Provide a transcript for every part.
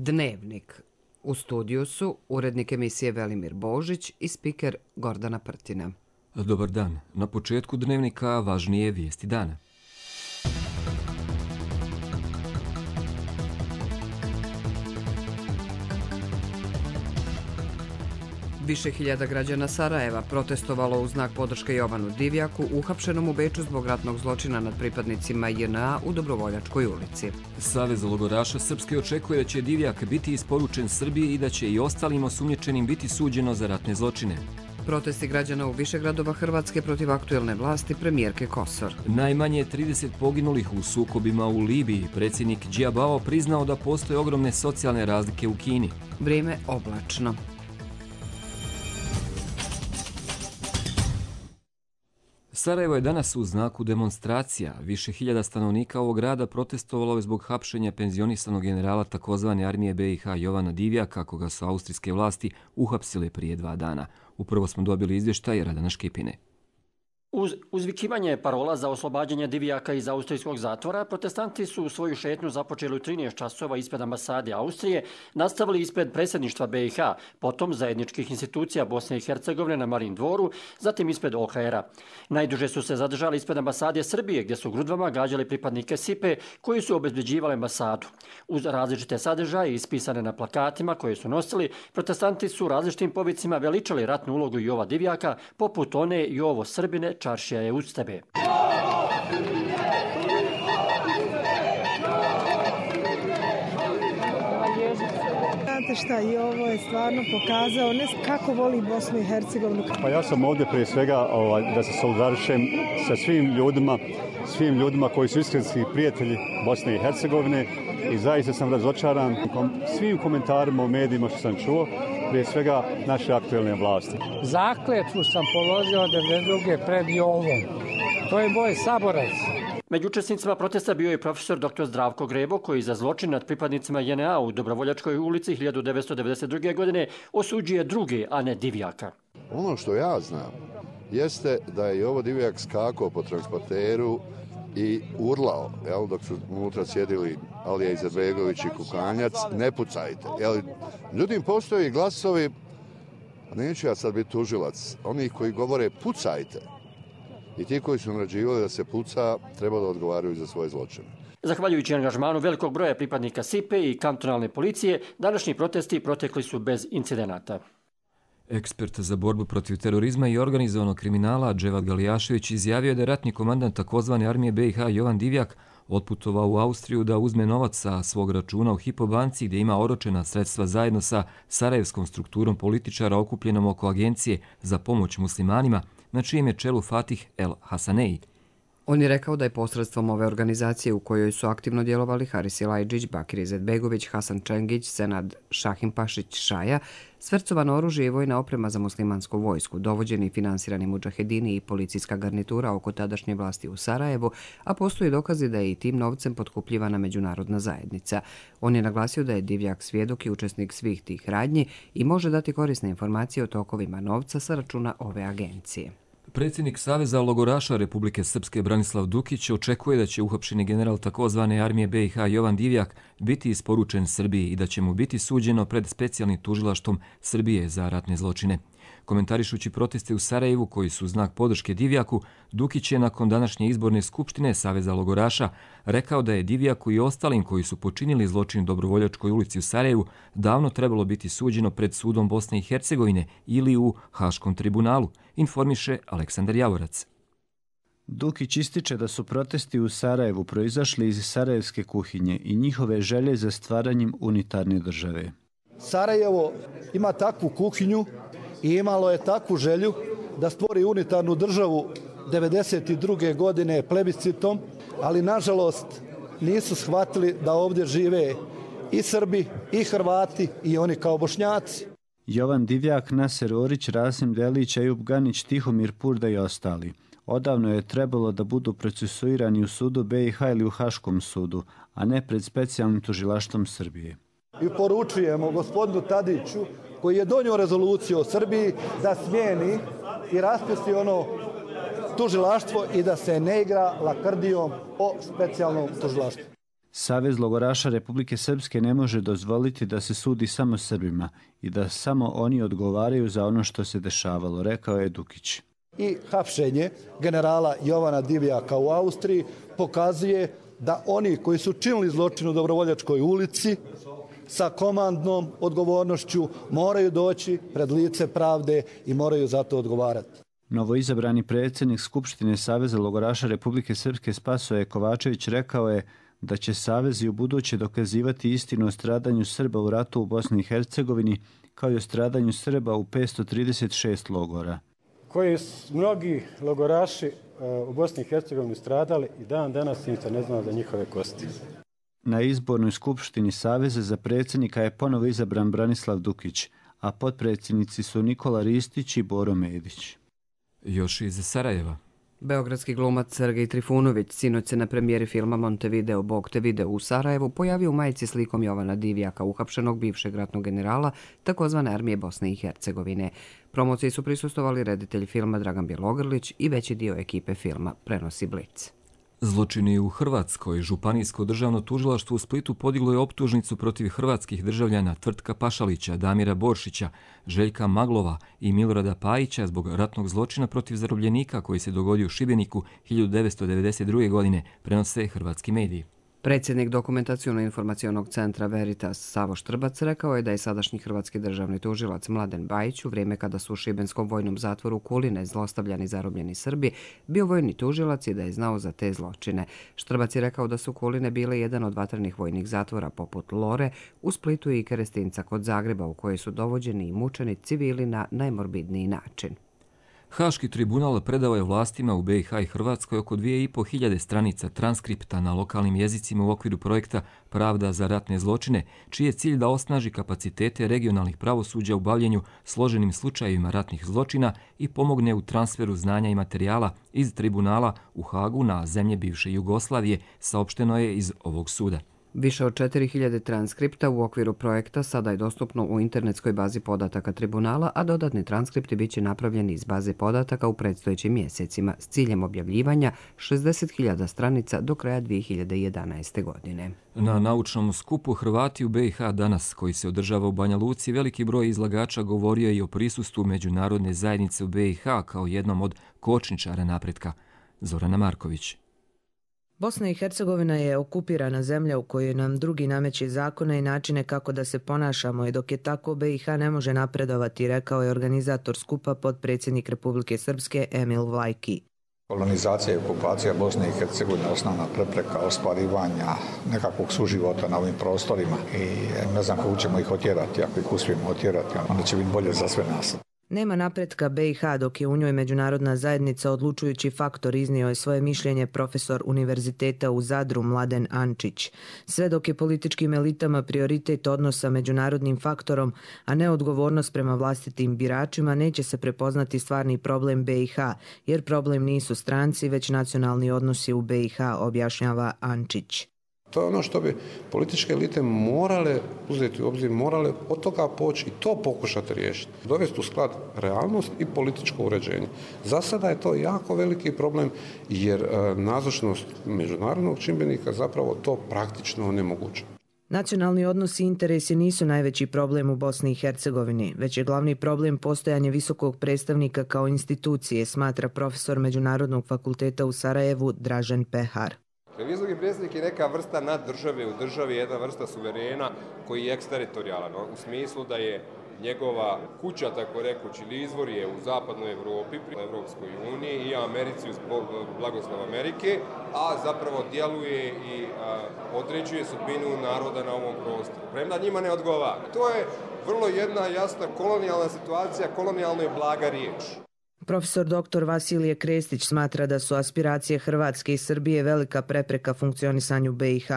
Dnevnik. U studiju su urednik emisije Velimir Božić i spiker Gordana Prtina. Dobar dan. Na početku Dnevnika važnije vijesti dana. Više hiljada građana Sarajeva protestovalo u znak podrške Jovanu Divjaku, uhapšenom u Beču zbog ratnog zločina nad pripadnicima JNA u Dobrovoljačkoj ulici. Savez logoraša Srpske očekuje da će Divjak biti isporučen Srbiji i da će i ostalim osumnjičenim biti suđeno za ratne zločine. Protesti građana u više gradova Hrvatske protiv aktuelne vlasti premijerke Kosor. Najmanje 30 poginulih u sukobima u Libiji. Predsjednik Džiabao priznao da postoje ogromne socijalne razlike u Kini. Vrijeme oblačno. Sarajevo je danas u znaku demonstracija. Više hiljada stanovnika ovog grada protestovalo je zbog hapšenja penzionisanog generala takozvane armije BiH Jovana Divjaka, koga su austrijske vlasti uhapsile prije 2 dana. Upravo smo dobili izvještaj Radana Škipine. Uz uzvikivanje parola za oslobađanje Divjaka iz austrijskog zatvora, protestanti su svoju šetnju započeli u 13 časova ispred ambasade Austrije, nastavili ispred predsjedništva BiH, potom zajedničkih institucija Bosne i Hercegovine na Marin dvoru, zatim ispred OHR-a. Najduže su se zadržali ispred ambasade Srbije, gdje su grudvama gađali pripadnike SIPE koji su obezbeđivali ambasadu. Uz različite sadržaje ispisane na plakatima koje su nosili, protestanti su različitim povicima veličali ratnu ulogu Jova Divjaka, poput one Jovo Srbine, čaršija je uz tebe. Znate šta, i ovo je stvarno pokazao kako voli Bosnu i Hercegovinu. Pa ja sam ovdje prije svega da se solidarišem sa svim ljudima koji su istinski prijatelji Bosne i Hercegovine i zaista sam razočaran svim komentarima u medijima što sam čuo, prije svega naše aktuelne vlasti. Zakletvu sam položio 92. pred Jovom. To je moj saborac. Među učesnicima protesta bio je profesor dr. Zdravko Grebo, koji za zločin nad pripadnicima JNA u Dobrovoljačkoj ulici 1992. godine osuđuje druge, a ne Divjaka. Ono što ja znam jeste da je Jovo Divjak skakao po transporteru i urlao, dok su unutra sjedili Alija Izetbegović i Kukanjac, ne pucajte. Međutim, postoje glasovi, neću ja sad biti tužilac, onih koji govore pucajte. I ti koji su naređivali da se puca, treba da odgovaraju za svoje zločine. Zahvaljujući angažmanu velikog broja pripadnika SIPE i kantonalne policije, današnji protesti protekli su bez incidenata. Ekspert za borbu protiv terorizma i organizovanog kriminala Dževad Galijašević izjavio da je ratni komandant takozvane armije BiH Jovan Divjak otputovao u Austriju da uzme novac sa svog računa u Hypo banci gdje ima oročena sredstva zajedno sa sarajevskom strukturom političara okupljenom oko agencije za pomoć muslimanima, na čijem je čelu Fatih El Hasanei. On je rekao da je posredstvom ove organizacije u kojoj su aktivno djelovali Haris Ilajđić, Bakir Izetbegović, Hasan Čengić, Senad Šahimpašić Šaja, svercovano oružje i vojna oprema za muslimansku vojsku, dovođeni i finansirani mudžahedini i policijska garnitura oko tadašnje vlasti u Sarajevu, a postoji dokazi da je i tim novcem potkupljivana međunarodna zajednica. On je naglasio da je Divjak svjedok i učesnik svih tih radnji i može dati korisne informacije o tokovima novca sa računa ove agencije. Predsjednik Saveza logoraša Republike Srpske Branislav Dukić očekuje da će uhapšeni general takozvane armije BiH Jovan Divjak biti isporučen Srbiji i da će mu biti suđeno pred specijalnim tužilaštvom Srbije za ratne zločine. Komentarišući proteste u Sarajevu koji su znak podrške Divjaku, Dukić je nakon današnje izborne skupštine Saveza logoraša rekao da je Divjaku i ostalim koji su počinili zločin u Dobrovoljačkoj ulici u Sarajevu davno trebalo biti suđeno pred sudom Bosne i Hercegovine ili u Haškom tribunalu, informiše Aleksandar Javorac. Dukić ističe da su protesti u Sarajevu proizašli iz sarajevske kuhinje i njihove želje za stvaranjem unitarne države. Sarajevo ima takvu kuhinju i imalo je takvu želju da stvori unitarnu državu 1992. godine plebiscitom, ali nažalost nisu shvatili da ovdje žive i Srbi, i Hrvati, i oni kao Bošnjaci. Jovan Divjak, Naser Orić, Rasim Delić, Ejub Ganić, Tihomir Purda i ostali. Odavno je trebalo da budu procesuirani u sudu BiH ili u Haškom sudu, a ne pred specijalnim tužilaštvom Srbije. I poručujemo gospodinu Tadiću, koji je donio rezoluciju o Srbiji, da smijeni i raspusti ono tužilaštvo i da se ne igra lakrdijom o specijalnom tužilaštvu. Savez logoraša Republike Srpske ne može dozvoliti da se sudi samo Srbima i da samo oni odgovaraju za ono što se dešavalo, rekao je Dukić. I hapšenje generala Jovana Divjaka u Austriji pokazuje da oni koji su činili zločin u Dobrovoljačkoj ulici sa komandnom odgovornošću moraju doći pred lice pravde i moraju za to odgovarati. Novoizabrani predsjednik Skupštine Saveza logoraša Republike Srpske Spasoje Kovačević rekao je da će Savez i u buduće dokazivati istinu o stradanju Srba u ratu u Bosni i Hercegovini kao i o stradanju Srba u 536 logora. Koji su mnogi logoraši u Bosni i Hercegovini stradali i dan danas im se ne zna za njihove kosti. Na izbornoj skupštini Saveza za predsjednika je ponovo izabran Branislav Dukić, a potpredsjednici su Nikola Ristić i Boro Medić. Još iz Sarajeva. Beogradski glumac Sergej Trifunović sinoć se na premijeri filma Montevideo Bog te video u Sarajevu pojavio u majici slikom Jovana Divjaka, uhapšenog bivšeg ratnog generala takozvane armije Bosne i Hercegovine. Promociji su prisustvovali reditelj filma Dragan Bjelogrlić i veći dio ekipe filma, prenosi Blic. Zločini u Hrvatskoj. Županijsko državno tužilaštvo u Splitu podiglo je optužnicu protiv hrvatskih državljana Tvrtka Pašalića, Damira Boršića, Željka Maglova i Milorada Pajića zbog ratnog zločina protiv zarobljenika koji se dogodio u Šibeniku 1992. godine, prenose hrvatski mediji. Predsjednik Dokumentaciono-informacionog centra Veritas Savo Štrbac rekao je da je sadašnji hrvatski državni tužilac Mladen Bajić u vrijeme kada su u šibenskom vojnom zatvoru Kuline zlostavljani zarobljeni Srbi bio vojni tužilac i da je znao za te zločine. Štrbac je rekao da su Kuline bile jedan od vatrenih vojnih zatvora poput Lore u Splitu i Kerestinca kod Zagreba u kojoj su dovođeni i mučeni civili na najmorbidniji način. Haški tribunal predao je vlastima u BiH i Hrvatskoj oko 2500 stranica transkripta na lokalnim jezicima u okviru projekta Pravda za ratne zločine, čiji je cilj da osnaži kapacitete regionalnih pravosuđa u bavljenju složenim slučajevima ratnih zločina i pomogne u transferu znanja i materijala iz tribunala u Hagu na zemlje bivše Jugoslavije, saopšteno je iz ovog suda. Više od 4000 transkripta u okviru projekta sada je dostupno u internetskoj bazi podataka tribunala, a dodatni transkripti biće napravljeni iz baze podataka u predstojećim mjesecima s ciljem objavljivanja 60.000 stranica do kraja 2011. godine. Na naučnom skupu Hrvati u BiH danas, koji se održava u Banja Luci, veliki broj izlagača govorio je i o prisustvu međunarodne zajednice u BiH kao jednom od kočničara napretka. Zorana Marković. Bosna i Hercegovina je okupirana zemlja u kojoj nam drugi nameće zakone i načine kako da se ponašamo i dok je tako BiH ne može napredovati, rekao je organizator skupa potpredsjednik Republike Srpske Emil Vlajki. Kolonizacija i okupacija Bosne i Hercegovine je osnovna prepreka ostvarivanja nekakvog suživota na ovim prostorima i ne znam kako ćemo ih otjerati. Ako ih uspijemo otjerati, onda će biti bolje za sve nas. Nema napretka BiH dok je u njoj međunarodna zajednica odlučujući faktor, iznio je svoje mišljenje profesor Univerziteta u Zadru Mladen Ančić. Sve dok je političkim elitama prioritet odnosa međunarodnim faktorom, a ne odgovornost prema vlastitim biračima, neće se prepoznati stvarni problem BiH, jer problem nisu stranci, već nacionalni odnosi u BiH, objašnjava Ančić. To je ono što bi političke elite morale uzeti u obzir, morale od toga poći i to pokušati riješiti. Dovesti u sklad realnost i političko uređenje. Za sada je to jako veliki problem jer nazočnost međunarodnog čimbenika zapravo to praktično onemogućuje. Nacionalni odnosi i interesi nisu najveći problem u Bosni i Hercegovini, već je glavni problem postojanje visokog predstavnika kao institucije, smatra profesor Međunarodnog fakulteta u Sarajevu Dražen Pehar. Visoki predstavnik je neka vrsta naddržave u državi, jedna vrsta suverena koji je eksteritorijalan, u smislu da je njegova kuća, tako rekući, ili izvor je u zapadnoj Evropi, pri Evropskoj uniji i Americi uz blagoslov Amerike, a zapravo djeluje i određuje sudbinu naroda na ovom prostoru. Premda njima ne odgovara. To je vrlo jedna jasna kolonijalna situacija, kolonijalno je blaga riječ. Profesor dr. Vasilije Krestić smatra da su aspiracije Hrvatske i Srbije velika prepreka funkcionisanju BiH.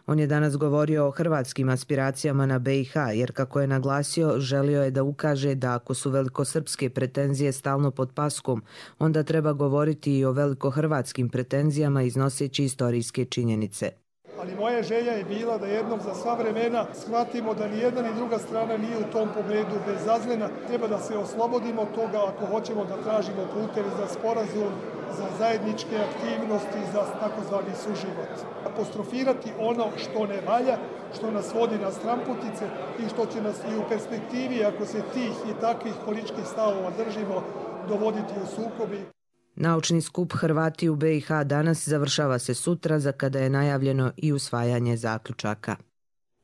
On je danas govorio o hrvatskim aspiracijama na BiH, jer kako je naglasio, želio je da ukaže da ako su velikosrpske pretenzije stalno pod paskom, onda treba govoriti i o velikohrvatskim pretenzijama iznoseći istorijske činjenice. Ali moja želja je bila da jednom za sva vremena shvatimo da ni jedna ni druga strana nije u tom pogledu bezazlena. Treba da se oslobodimo od toga ako hoćemo da tražimo puteve za sporazum, za zajedničke aktivnosti, za takozvani suživot. Apostrofirati ono što ne valja, što nas vodi na stramputice i što će nas i u perspektivi, ako se tih i takvih političkih stavova držimo, dovoditi u sukobi. Naučni skup Hrvati u BiH danas završava se sutra, za kada je najavljeno i usvajanje zaključaka.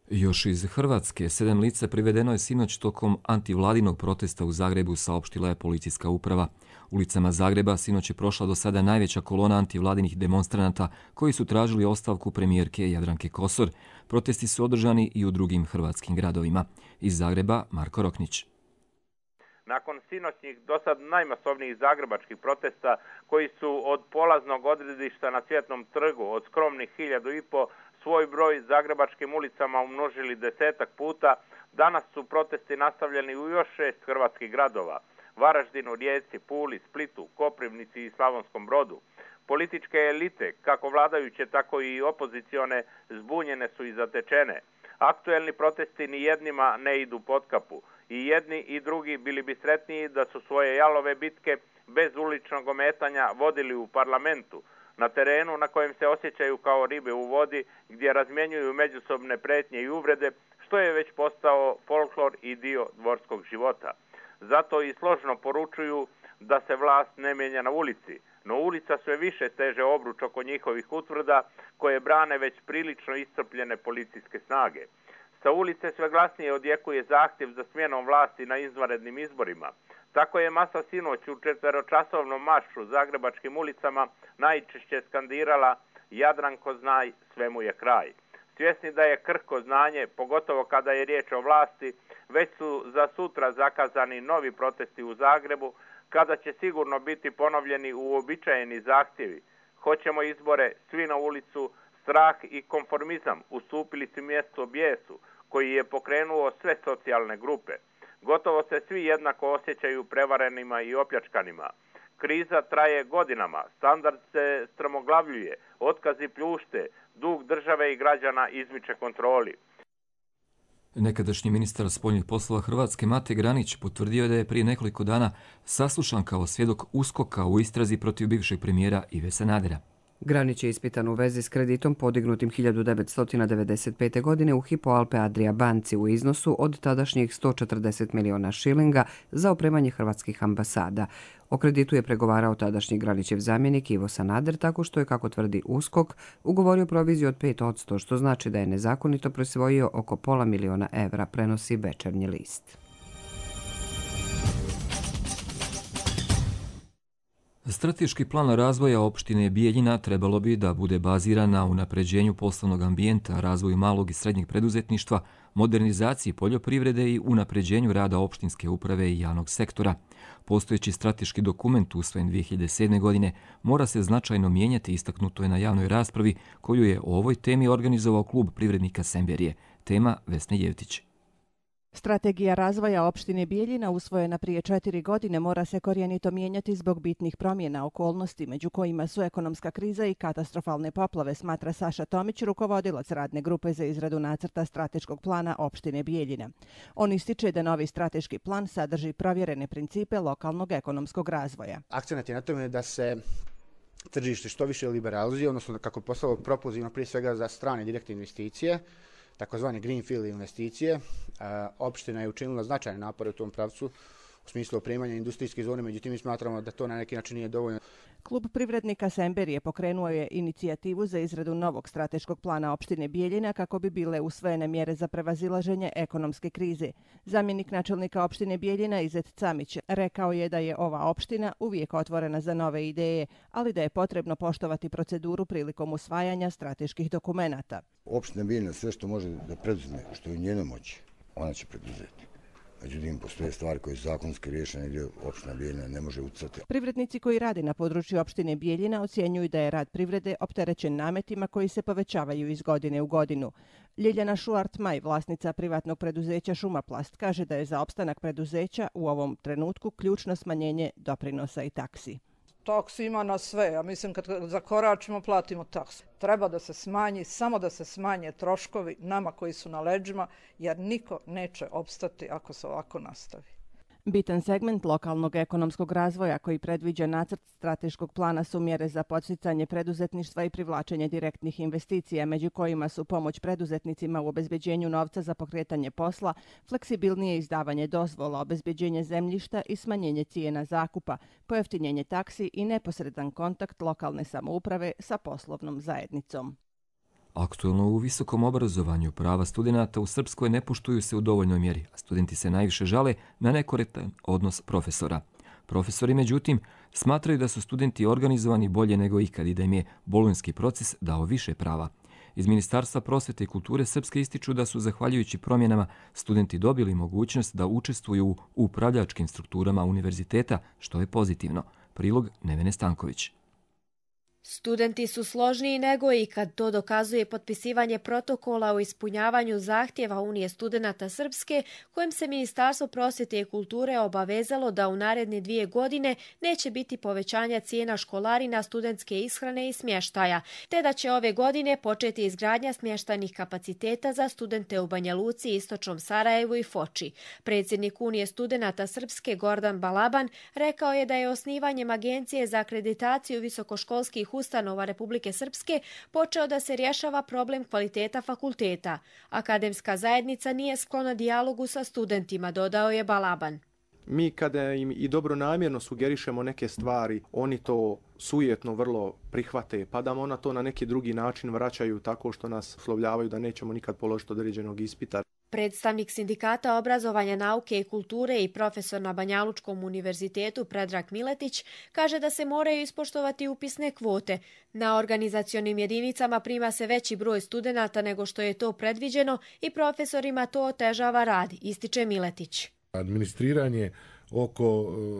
Još iz Hrvatske 7 lica privedeno je sinoć tokom antivladinog protesta u Zagrebu, saopštila je policijska uprava. Ulicama Zagreba sinoć je prošla do sada najveća kolona antivladinih demonstranata koji su tražili ostavku premijerke Jadranke Kosor. Protesti su održani i u drugim hrvatskim gradovima. Iz Zagreba Marko Roknić. Nakon sinoćnih dosad najmasovnijih zagrebačkih protesta koji su od polaznog odredišta na Cvjetnom trgu od skromnih 1500 svoj broj zagrebačkim ulicama umnožili 10 puta, danas su protesti nastavljeni u još 6 hrvatskih gradova: Varaždinu, Rijeci, Puli, Splitu, Koprivnici i Slavonskom Brodu. Političke elite, kako vladajuće tako i opozicione, zbunjene su i zatečene. Aktuelni protesti ni jednima ne idu pod kapu. I jedni i drugi bili bi sretniji da su svoje jalove bitke bez uličnog ometanja vodili u parlamentu, na terenu na kojem se osjećaju kao ribe u vodi, gdje razmjenjuju međusobne pretnje i uvrede, što je već postao folklor i dio dvorskog života. Zato i složno poručuju da se vlast ne mijenja na ulici, no ulica sve više steže obruč oko njihovih utvrda koje brane već prilično iscrpljene policijske snage. Sa ulice sve glasnije odjekuje zahtjev za smjenom vlasti na izvanrednim izborima. Tako je masa sinoć u 4-časovnom maršu zagrebačkim ulicama najčešće skandirala "Jadranko znaj, svemu je kraj". Svjesni da je krhko znanje, pogotovo kada je riječ o vlasti, već su za sutra zakazani novi protesti u Zagrebu, kada će sigurno biti ponovljeni uobičajeni zahtjevi. Hoćemo izbore, svi na ulicu, strah i konformizam ustupili su mjesto bijesu, koji je pokrenuo sve socijalne grupe. Gotovo se svi jednako osjećaju prevarenima i opljačkanima. Kriza traje godinama, standard se strmoglavljuje, otkazi pljušte, dug države i građana izmiče kontroli. Nekadašnji ministar spoljnih poslova Hrvatske Mate Granić potvrdio da je prije nekoliko dana saslušan kao svjedok USKOK-a u istrazi protiv bivšeg premijera Ive Sanadera. Granić je ispitan u vezi s kreditom podignutim 1995. godine u Hypo Alpe Adria banci u iznosu od tadašnjih 140 miliona šilinga za opremanje hrvatskih ambasada. O kreditu je pregovarao tadašnji Granićev zamjenik Ivo Sanader tako što je, kako tvrdi USKOK, ugovorio proviziju od 5%, što znači da je nezakonito prisvojio oko $500.000, prenosi Večernji list. Strateški plan razvoja opštine Bijeljina trebalo bi da bude baziran na unapređenju poslovnog ambijenta, razvoju malog i srednjeg preduzetništva, modernizaciji poljoprivrede i unapređenju rada opštinske uprave i javnog sektora. Postojeći strateški dokument usvojen 2007. godine mora se značajno mijenjati, istaknuto je na javnoj raspravi koju je o ovoj temi organizovao klub privrednika Semberije. Tema Vesne Jevtić. Strategija razvoja opštine Bijeljina usvojena prije 4 godine mora se korijenito mijenjati zbog bitnih promjena okolnosti, među kojima su ekonomska kriza i katastrofalne poplave, smatra Saša Tomić, rukovodilac radne grupe za izradu nacrta strateškog plana opštine Bijeljina. On ističe da novi strateški plan sadrži provjerene principe lokalnog ekonomskog razvoja. Akcenat je na tome da se tržište što više liberalizuje, odnosno kako postalo propulzivno prije svega za strane direktne investicije, takozvane greenfield investicije. Opština je učinila značajne napore u tom pravcu u smislu opremanja industrijske zone, međutim mi smatramo da to na neki način nije dovoljno. Klub privrednika Semberije pokrenuo je inicijativu za izradu novog strateškog plana opštine Bijeljina kako bi bile usvojene mjere za prevazilaženje ekonomske krize. Zamjenik načelnika opštine Bijeljina Izet Camić rekao je da je ova opština uvijek otvorena za nove ideje, ali da je potrebno poštovati proceduru prilikom usvajanja strateških dokumenata. Opština Bijeljina sve što može da preduzme, što je u njenoj moći, ona će preduzeti. Međutim, postoje stvari koje su zakonski riješene gdje opština Bijeljina ne može utjecati. Privrednici koji rade na području opštine Bijeljina ocjenjuju da je rad privrede opterećen nametima koji se povećavaju iz godine u godinu. Ljiljana Šuart-Maj, vlasnica privatnog preduzeća Šumaplast, kaže da je za opstanak preduzeća u ovom trenutku ključno smanjenje doprinosa i taksi. Taksi ima na sve, ja mislim kad zakoračimo platimo taksu. Treba da se smanji, samo da se smanje troškovi nama koji su na leđima, jer niko neće opstati ako se ovako nastavi. Bitan segment lokalnog ekonomskog razvoja koji predviđa nacrt strateškog plana su mjere za podsticanje preduzetništva i privlačenje direktnih investicija, među kojima su pomoć preduzetnicima u obezbeđenju novca za pokretanje posla, fleksibilnije izdavanje dozvola, obezbeđenje zemljišta i smanjenje cijena zakupa, pojeftinjenje taksi i neposredan kontakt lokalne samouprave sa poslovnom zajednicom. Aktuelno u visokom obrazovanju prava studenata u Srpskoj ne poštuju se u dovoljnoj mjeri, a studenti se najviše žale na nekorektan odnos profesora. Profesori, međutim, smatraju da su studenti organizovani bolje nego ikad i da im je bolonjski proces dao više prava. Iz Ministarstva prosvete i kulture Srpske ističu da su, zahvaljujući promjenama, studenti dobili mogućnost da učestvuju u upravljačkim strukturama univerziteta, što je pozitivno. Prilog Nevene Stanković. Studenti su složniji nego ikad, to dokazuje potpisivanje protokola o ispunjavanju zahtjeva Unije studenata Srpske, kojim se Ministarstvo prosvjete i kulture obavezalo da u naredne 2 godine neće biti povećanja cijena školarina, studentske ishrane i smještaja, te da će ove godine početi izgradnja smještajnih kapaciteta za studente u Banja Luci, Istočnom Sarajevu i Foči. Predsjednik Unije studenata Srpske Gordan Balaban rekao je da je osnivanjem Agencije za akreditaciju visokoškolskih ustanova Republike Srpske počeo da se rješava problem kvaliteta fakulteta. Akademska zajednica nije sklona dijalogu sa studentima, dodao je Balaban. Mi kada im i dobronamjerno sugerišemo neke stvari, oni to sujetno vrlo prihvate, pa da ona to na neki drugi način vraćaju tako što nas uslovljavaju da nećemo nikad položiti određenog ispita. Predstavnik Sindikata obrazovanja, nauke i kulture i profesor na Banjalučkom univerzitetu Predrag Miletić kaže da se moraju ispoštovati upisne kvote. Na organizacionim jedinicama prima se veći broj studenata nego što je to predviđeno i profesorima to otežava rad, ističe Miletić. Administriranje oko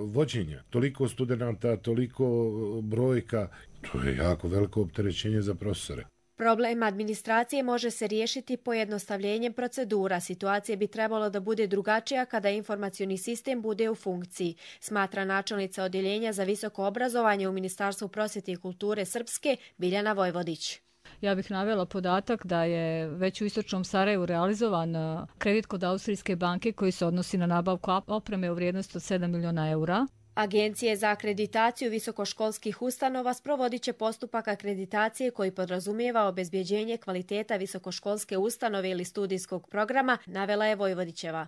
vođenja, toliko studenata, toliko brojka, to je jako veliko opterećenje za profesore. Problem administracije može se riješiti pojednostavljenjem procedura. Situacija bi trebalo da bude drugačija kada informacioni sistem bude u funkciji, smatra načelnica Odjeljenja za visoko obrazovanje u Ministarstvu prosvjete i kulture Srpske Biljana Vojvodić. Ja bih navela podatak da je već u Istočnom Sarajevu realizovan kredit kod Austrijske banke koji se odnosi na nabavku opreme u vrijednosti od 7 miliona eura. Agencije za akreditaciju visokoškolskih ustanova sprovodit će postupak akreditacije koji podrazumijeva obezbjeđenje kvaliteta visokoškolske ustanove ili studijskog programa, navela je Vojvodićeva.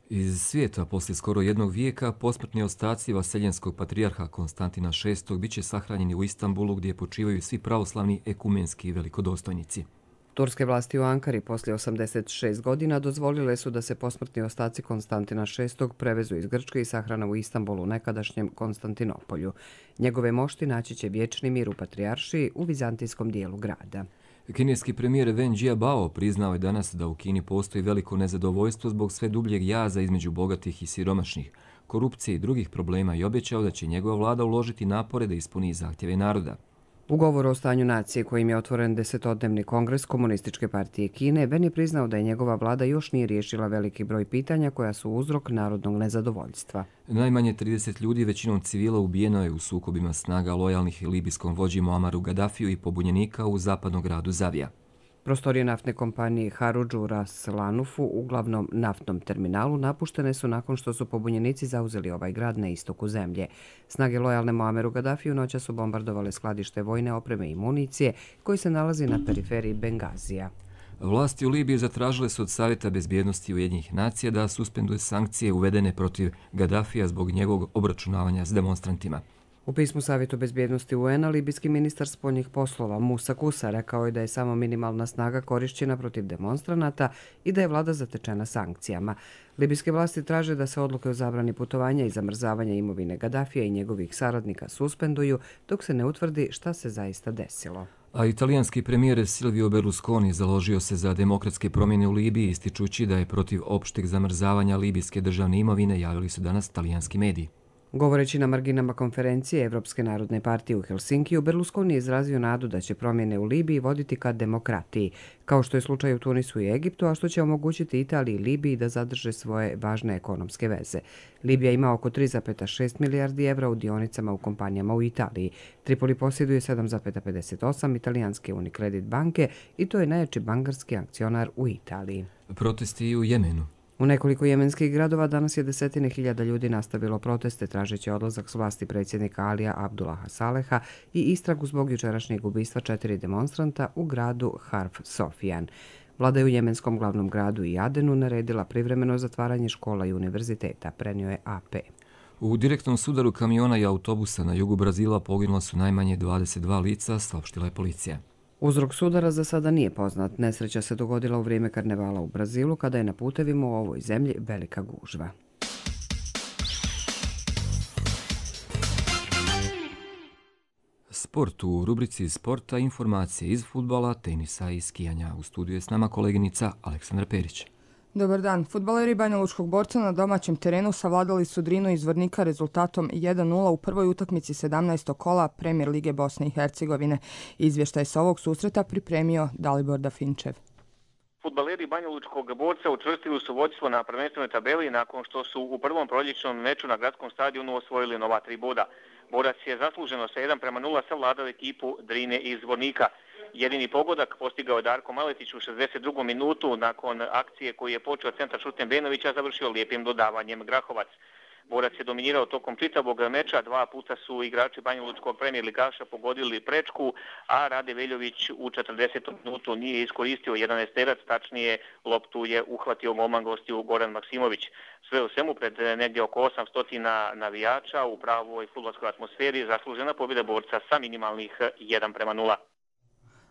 Iz svijeta poslije skoro 1 vijeka posmrtni ostaci vaseljenskog patrijarha Konstantina VI bit će sahranjeni u Istanbulu gdje počivaju svi pravoslavni ekumenski velikodostojnici. Turske vlasti u Ankari poslije 86 godina dozvolile su da se posmrtni ostaci Konstantina VI prevezu iz Grčke i sahrane u Istanbulu, nekadašnjem Konstantinopolju. Njegove mošti naći će vječni mir u patrijaršiji u vizantijskom dijelu grada. Kineski premijer Wen Jiabao priznao je danas da u Kini postoji veliko nezadovoljstvo zbog sve dubljeg jaza između bogatih i siromašnih, korupcije i drugih problema i obećao da će njegova vlada uložiti napore da ispuni zahtjeve naroda. U govoru o stanju nacije kojim je otvoren 10-dnevni kongres Komunističke partije Kine, Wen je priznao da je njegova vlada još nije riješila veliki broj pitanja koja su uzrok narodnog nezadovoljstva. Najmanje 30 ljudi, većinom civila, ubijeno je u sukobima snaga lojalnih libijskom vođi Muamaru Gaddafiju i pobunjenika u zapadnom gradu Zavija. Prostorije naftne kompanije Haruđu Ras Lanufu u glavnom naftnom terminalu napuštene su nakon što su pobunjenici zauzeli ovaj grad na istoku zemlje. Snage lojalne Muamaru Gaddafiju noća su bombardovale skladište vojne opreme i municije koji se nalazi na periferiji Bengazija. Vlasti u Libiji zatražile su od Savjeta bezbjednosti Ujedinjenih nacija da suspenduje sankcije uvedene protiv Gaddafija zbog njegovog obračunavanja s demonstrantima. U pismu Savjetu bezbjednosti UN-a libijski ministar spoljnih poslova Musa Kusa rekao je da je samo minimalna snaga korišćena protiv demonstranata i da je vlada zatečena sankcijama. Libijske vlasti traže da se odluke o zabrani putovanja i zamrzavanja imovine Gaddafija i njegovih saradnika suspenduju dok se ne utvrdi šta se zaista desilo. A italijanski premijer Silvio Berlusconi založio se za demokratske promjene u Libiji, ističući da je protiv opšteg zamrzavanja libijske državne imovine, javili su danas talijanski mediji. Govoreći na marginama konferencije Evropske narodne partije u Helsinkiju, Berlusconi je izrazio nadu da će promjene u Libiji voditi ka demokratiji, kao što je slučaj u Tunisu i Egiptu, a što će omogućiti Italiji i Libiji da zadrže svoje važne ekonomske veze. Libija ima oko 3,6 milijardi evra u dionicama u kompanijama u Italiji. Tripoli posjeduje 7,58 italijanske Unicredit banke i to je najjači bankarski akcionar u Italiji. Protesti u Jemenu. U nekoliko jemenskih gradova danas je desetine hiljada ljudi nastavilo proteste tražeći odlazak s vlasti predsjednika Alija Abdullaha Saleha i istragu zbog jučerašnjeg ubistva 4 demonstranta u gradu Harf Sofijan. Vlada je u jemenskom glavnom gradu i Adenu naredila privremeno zatvaranje škola i univerziteta, prenio je AP. U direktnom sudaru kamiona i autobusa na jugu Brazila poginula su najmanje 22 lica, saopštila je policija. Uzrok sudara za sada nije poznat. Nesreća se dogodila u vrijeme karnevala u Brazilu, kada je na putevima u ovoj zemlji velika gužva. Sport u rubrici sporta, informacije iz fudbala, tenisa i skijanja. U studiju je s nama koleginica Aleksandra Perić. Dobar dan. Fudbaleri Banja Lučkog Borca na domaćem terenu savladali su Drinu iz Zvornika rezultatom 1:0 u prvoj utakmici 17. kola Premijer Lige Bosne i Hercegovine. Izvještaj sa ovog susreta pripremio Dalibor Dafinčev. Fudbaleri Banja Lučkog Borca učvrstili su vodstvo na prvenstvenoj tabeli nakon što su u prvom proljećnom meču na gradskom stadionu osvojili nova 3 boda. Borac je zasluženo sa 1:0 savladao ekipu Drine iz Zvornika. Jedini pogodak postigao je Darko Maletić u 62. minutu nakon akcije koju je počeo centar Šuten Benovića, završio lijepim dodavanjem Grahovac. Borac je dominirao tokom čitavog meča, 2 puta su igrači banjalučkog premijer ligaša pogodili prečku, a Rade Veljović u 40. minutu nije iskoristio 11-terac, tačnije loptu je uhvatio golman gostiju Goran Maksimović. Sve u svemu pred negdje oko 800 navijača u pravoj fudbalskoj atmosferi zaslužena pobjeda Borca sa minimalnih 1:0.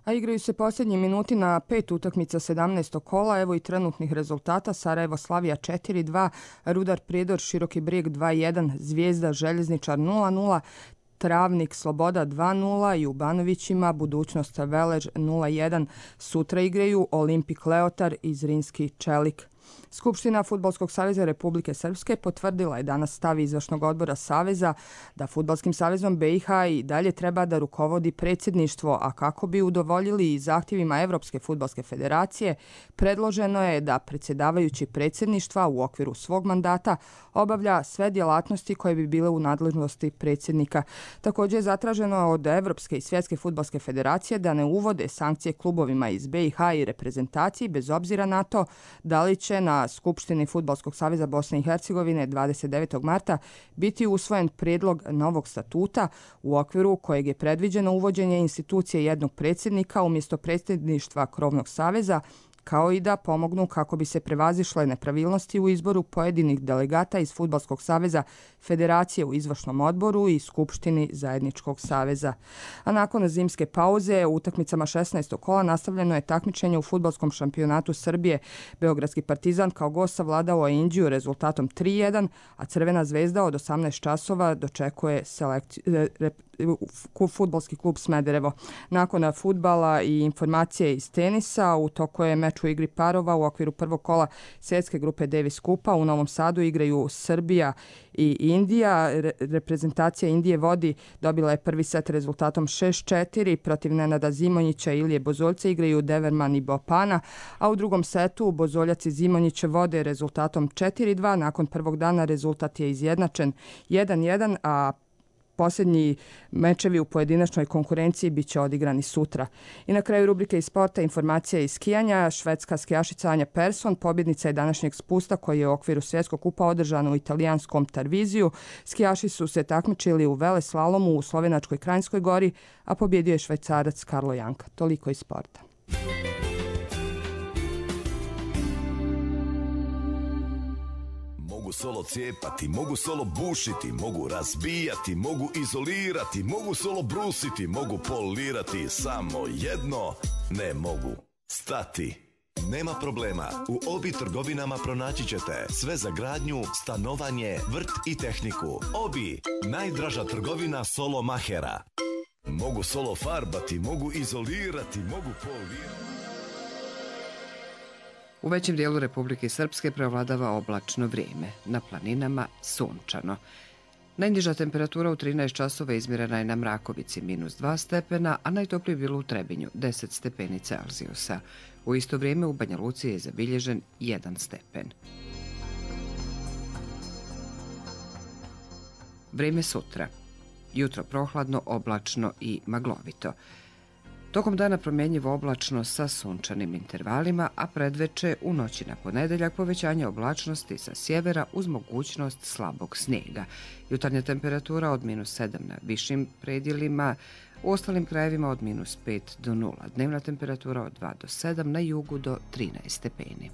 A igraju se posljednji minuti na 5 utakmica 17. kola. Evo i trenutnih rezultata. Sarajevo Slavija 4:2, Rudar Prijedor Široki Brijeg 2:1, Zvijezda Željezničar 0:0, Travnik Sloboda 2:0 i u Banovićima Budućnost Velež 0:1. Sutra igraju Olimpik Leotar i Zrinski Čelik. Skupština Fudbalskog saveza Republike Srpske potvrdila je danas stav izvršnog odbora Saveza da Fudbalskim savezom BiH i dalje treba da rukovodi predsjedništvo, a kako bi udovoljili i zahtjevima Evropske fudbalske federacije, predloženo je da predsjedavajući predsjedništva u okviru svog mandata obavlja sve djelatnosti koje bi bile u nadležnosti predsjednika. Također je zatraženo od Evropske i Svjetske fudbalske federacije da ne uvode sankcije klubovima iz BiH i reprezentaciji bez obzira na to da li će na Skupštini Fudbalskog saveza Bosne i Hercegovine 29. marta biti usvojen prijedlog novog statuta u okviru kojeg je predviđeno uvođenje institucije jednog predsjednika umjesto predsjedništva krovnog saveza, kao i da pomognu kako bi se prevazišle nepravilnosti u izboru pojedinih delegata iz Fudbalskog saveza Federacije u izvršnom odboru i Skupštini Zajedničkog saveza. A nakon zimske pauze u utakmicama 16. kola nastavljeno je takmičenje u fudbalskom šampionatu Srbije. Beogradski Partizan kao gost savladao Indiju rezultatom 3:1, a Crvena zvezda od 18 časova dočekuje fudbalski klub Smederevo. Nakon fudbala i informacije iz tenisa, u toku je meč u igri parova u okviru prvog kola svjetske grupe Davis Kupa. U Novom Sadu igraju Srbija i Indija. Reprezentacija Indije vodi, dobila je prvi set rezultatom 6:4. Protiv Nenada Zimonjića i Ilije Bozoljca igraju Deverman i Bopana, a u drugom setu Bozoljac i Zimonjić vode rezultatom 4:2. Nakon prvog dana rezultat je izjednačen 1:1, a posljednji mečevi u pojedinačnoj konkurenciji bit će odigrani sutra. I na kraju rubrike iz sporta informacija iz skijanja. Švedska skijašica Anja Persson pobjednica je današnjeg spusta koji je u okviru svjetskog kupa održan u italijanskom Tarviziju. Skijaši su se takmičili u veleslalomu u Slovenačkoj Kranjskoj gori, a pobjedio je Švajcarac Karlo Janka. Toliko iz sporta. Mogu solo cijepati, mogu solo bušiti, mogu razbijati, mogu izolirati, mogu solo brusiti, mogu polirati, samo jedno ne mogu stati. Nema problema, u Obi trgovinama pronaći ćete sve za gradnju, stanovanje, vrt i tehniku. Obi, najdraža trgovina solo mahera. Mogu solo farbati, mogu izolirati, mogu polirati. U većem dijelu Republike Srpske prevladava oblačno vrijeme, na planinama sunčano. Najniža temperatura u 13 časova izmjerena je na Mrakovici -2 stepena, a najtoplije bilo u Trebinju 10 stepeni Celzijusa. U isto vrijeme u Banja Luci je zabilježen 1 stepen. Vrijeme sutra. Jutro prohladno, oblačno i maglovito. Tokom dana promjenjivo oblačno sa sunčanim intervalima, a predveče u noći na ponedeljak povećanje oblačnosti sa sjevera uz mogućnost slabog snijega. Jutarnja temperatura od -7 na višim predjelima, u ostalim krajevima od -5 do 0. Dnevna temperatura od 2 do 7, na jugu do 13 stepeni.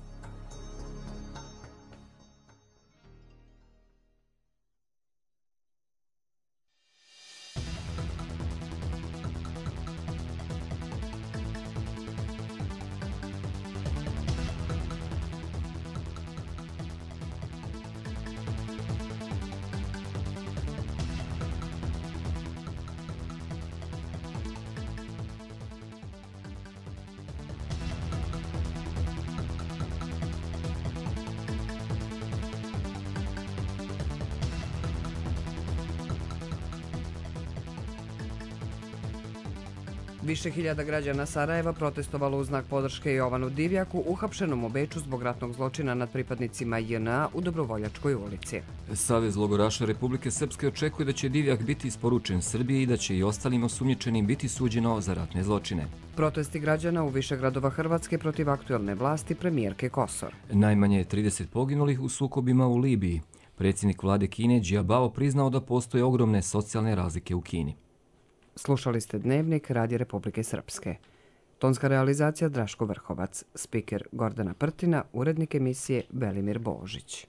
Više hiljada građana Sarajeva protestovalo u znak podrške Jovanu Divjaku, uhapšenom u Beču zbog ratnog zločina nad pripadnicima JNA u Dobrovoljačkoj ulici. Savez logoraša Republike Srpske očekuje da će Divjak biti isporučen Srbiji i da će i ostalim osumnjičenim biti suđeno za ratne zločine. Protesti građana u više gradova Hrvatske protiv aktuelne vlasti premijerke Kosor. Najmanje je 30 poginulih u sukobima u Libiji. Predsjednik vlade Kine Džiabao priznao da postoje ogromne socijalne razlike u Kini. Slušali ste Dnevnik Radija Republike Srpske. Tonska realizacija Draško Vrhovac, spiker Gordana Prtina, urednik emisije Velimir Božić.